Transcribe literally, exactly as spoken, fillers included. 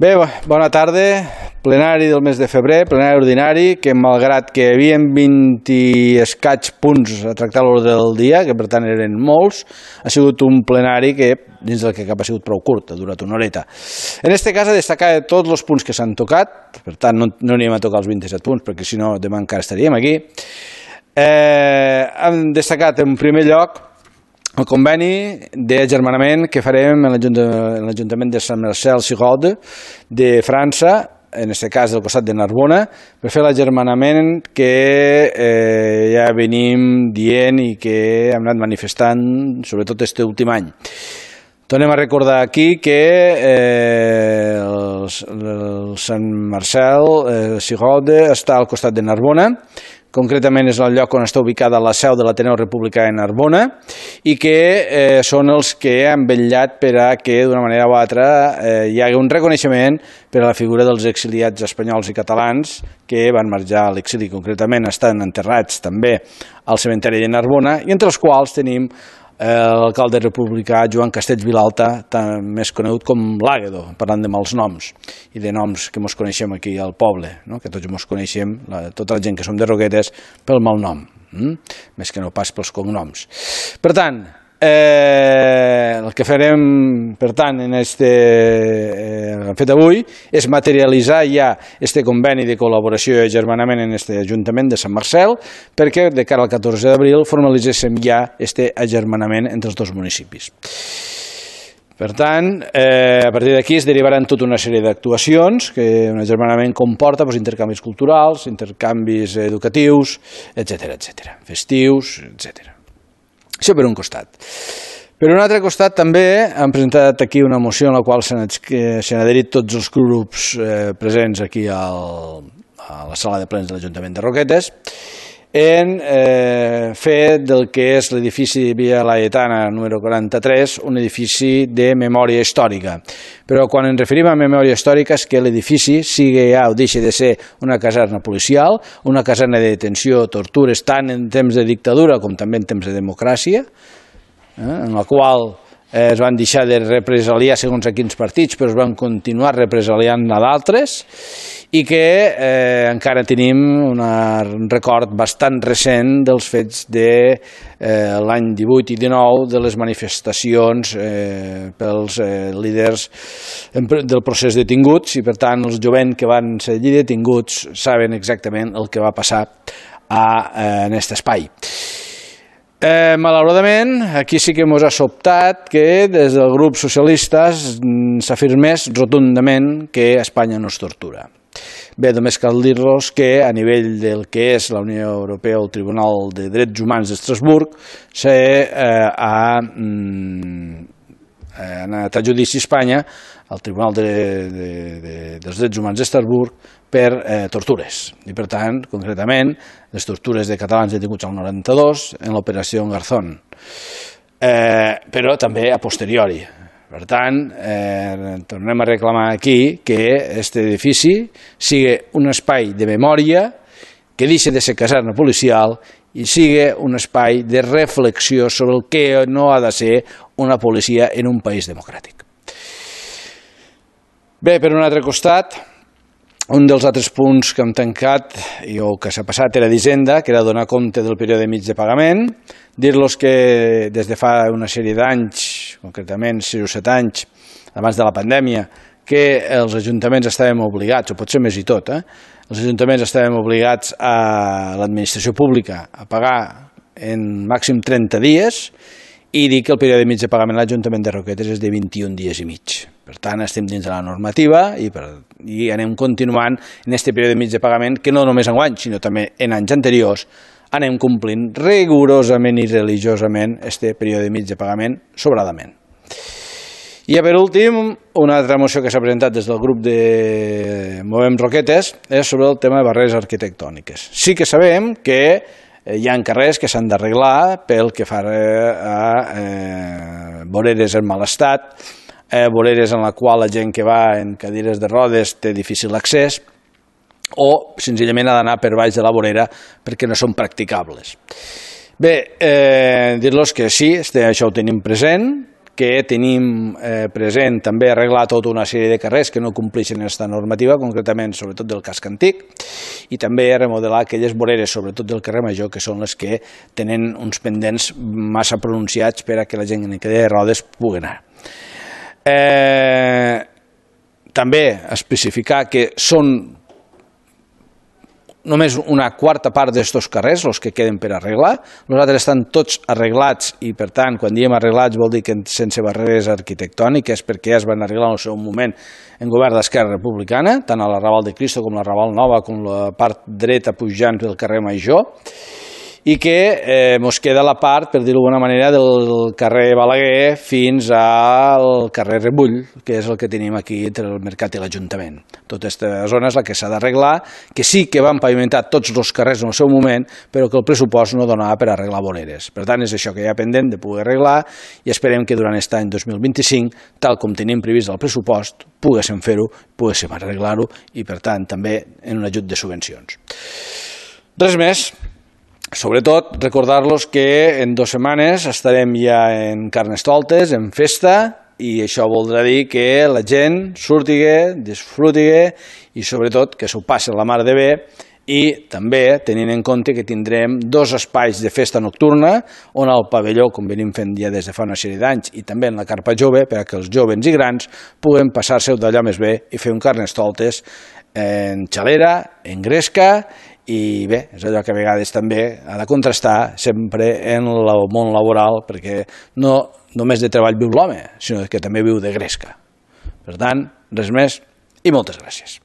Bé, bona tarda. Plenari del mes de febrer, plenari ordinari, que malgrat que hi havia vint i escaig punts a tractar a l'ordre del dia, que per tant eren molts, ha sigut un plenari que, dins del que cap ha sigut prou curt, ha durat una horeta. En aquest cas, a destacar tots els punts que s'han tocat, per tant no, no anirem a tocar els vint-i-set punts, perquè si no demà encara estaríem aquí. Eh, hem destacat en primer lloc el conveni d'agermanament que farem en l'Ajuntament de Sant Marcel-Sigaude de França, en aquest cas del costat de Narbona, per fer l'agermanament que eh, ja venim dient i que hem anat manifestant, sobretot aquest últim any. Tornem a recordar aquí que eh, el, el Sant Marcel-Sigaude eh, està al costat de Narbona, concretament és el lloc on està ubicada la seu de l'Ateneu Republicà de Narbona i que eh, són els que han vetllat per a que d'una manera o altra eh, hi hagi un reconeixement per a la figura dels exiliats espanyols i catalans que van marxar a l'exili, concretament estan enterrats també al cementeri de Narbona i entre els quals tenim l'alcalde republicà Joan Castells Vilalta, més conegut com l'Àguedo, parlant de mals noms i de noms que ens coneixem aquí al poble, no? Que tots ens coneixem, la, tota la gent que som de Roquetes, pel mal nom, hm? Més que no pas pels cognoms. Per tant, eh, el que farem per tant en este eh, fet avui és materialitzar ja este conveni de col·laboració i agermanament en este Ajuntament de Sant Marcel perquè de cara al catorze d'abril formalitzéssim ja este agermanament entre els dos municipis. Per tant, eh, a partir d'aquí es derivaran tota una sèrie d'actuacions que un agermanament comporta doncs, intercanvis culturals, intercanvis educatius, etcètera, etcètera, festius, etcètera. Això per un costat. Per un altre costat també hem presentat aquí una moció en la qual s'han adherit tots els grups eh, presents aquí al, a la sala de plens de l'Ajuntament de Roquetes en eh, fer del que és l'edifici de Via Laietana número quaranta-tres un edifici de memòria històrica. Però quan ens referim a memòria històrica és que l'edifici sigui ja o deixi de ser una caserna policial, una caserna de detenció, tortures, tant en temps de dictadura com també en temps de democràcia, eh, en la qual eh, es van deixar de represaliar segons a quins partits, però es van continuar represaliant a d'altres, i que eh, encara tenim una, un record bastant recent dels fets de eh, l'any divuit i dinou de les manifestacions eh, pels eh, líders del procés detinguts i per tant els jovents que van ser allí detinguts saben exactament el que va passar a, eh, en aquest espai. Eh, malauradament, aquí sí que ens ha sobtat que des del grup socialista s'afirmés rotundament que Espanya no es tortura. Bé, només cal dir-los que a nivell del que és la Unió Europea o el Tribunal de Drets Humans d'Estrasburg s'ha eh, mm, anat a judici a Espanya al Tribunal de, de, de, dels Drets Humans d'Estrasburg per eh, tortures. I per tant, concretament, les tortures de catalans detinguts al noranta-dos en l'operació Garzón. Eh, però també a posteriori. Per tant, eh, tornem a reclamar aquí que aquest edifici sigui un espai de memòria, que deixi de ser caserna policial i sigui un espai de reflexió sobre el que no ha de ser una policia en un país democràtic. Bé, per un altre costat, un dels altres punts que hem tancat i o que s'ha passat era d'Hisenda, que era donar compte del període mig de pagament, dir-los que des de fa una sèrie d'anys, concretament sis o set anys, abans de la pandèmia, que els ajuntaments estàvem obligats, o potser més i tot, eh? els ajuntaments estàvem obligats a l'administració pública a pagar en màxim trenta dies i dir que el període mig de pagament a l'Ajuntament de Roquetes és de vint-i-un dies i mig. Per tant, estem dins de la normativa i, per, i anem continuant en aquest període mig de pagament que no només enguany, sinó també en anys anteriors, anem complint rigorosament i religiosament aquest període mig de pagament sobradament. I per últim, una altra moció que s'ha presentat des del grup de Movem Roquetes és sobre el tema de barreres arquitectòniques. Sí que sabem que hi ha carrers que s'han d'arreglar pel que fa a eh, voreres en mal estat, eh, voreres en la qual la gent que va en cadires de rodes té difícil accés, o senzillament ha d'anar per baix de la vorera perquè no són practicables. Bé, eh, dir-los que sí, això ho tenim present, que tenim eh, present també arreglar tota una sèrie de carrers que no compleixen aquesta normativa, concretament sobretot del casc antic, i també remodelar aquelles voreres, sobretot del carrer Major, que són les que tenen uns pendents massa pronunciats per a que la gent en cadira de rodes pugui anar. Eh, també especificar que són només una quarta part d'estos carrers els que queden per arreglar. Els altres estan tots arreglats i, per tant, quan diem arreglats vol dir que sense barreres arquitectòniques, perquè ja es van arreglar en el seu moment en govern d'Esquerra Republicana, tant a la Raval de Cristo com la Raval Nova, com la part dreta pujant del carrer Major, i que eh, mos queda la part, per dir-ho d'alguna manera, del carrer Balaguer fins al carrer Rebull, que és el que tenim aquí entre el Mercat i l'Ajuntament. Tota aquesta zona és la que s'ha d'arreglar, que sí que van pavimentar tots els carrers en el seu moment, però que el pressupost no donava per arreglar voreres. Per tant, és això que hi ha pendent de poder arreglar i esperem que durant aquest any dos mil vint-i-cinc, tal com tenim previst el pressupost, poguéssim fer-ho, poguéssim arreglar-ho i, per tant, també en un ajut de subvencions. Res més. Sobretot, recordar-los que en dues setmanes estarem ja en Carnestoltes, en festa, i això voldrà dir que la gent surtiga, disfrutiga i sobretot que s'ho passi la mar de bé, i també tenint en compte que tindrem dos espais de festa nocturna on el pavelló, com venim fent ja des de fa una sèrie d'anys, i també en la carpa jove, perquè els joves i grans puguen passar-se d'allò més bé i fer un Carnestoltes en xalera, en gresca, i bé, és allò que a vegades també ha de contrastar sempre en el món laboral, perquè no només de treball viu l'home, sinó que també viu de gresca. Per tant, res més i moltes gràcies.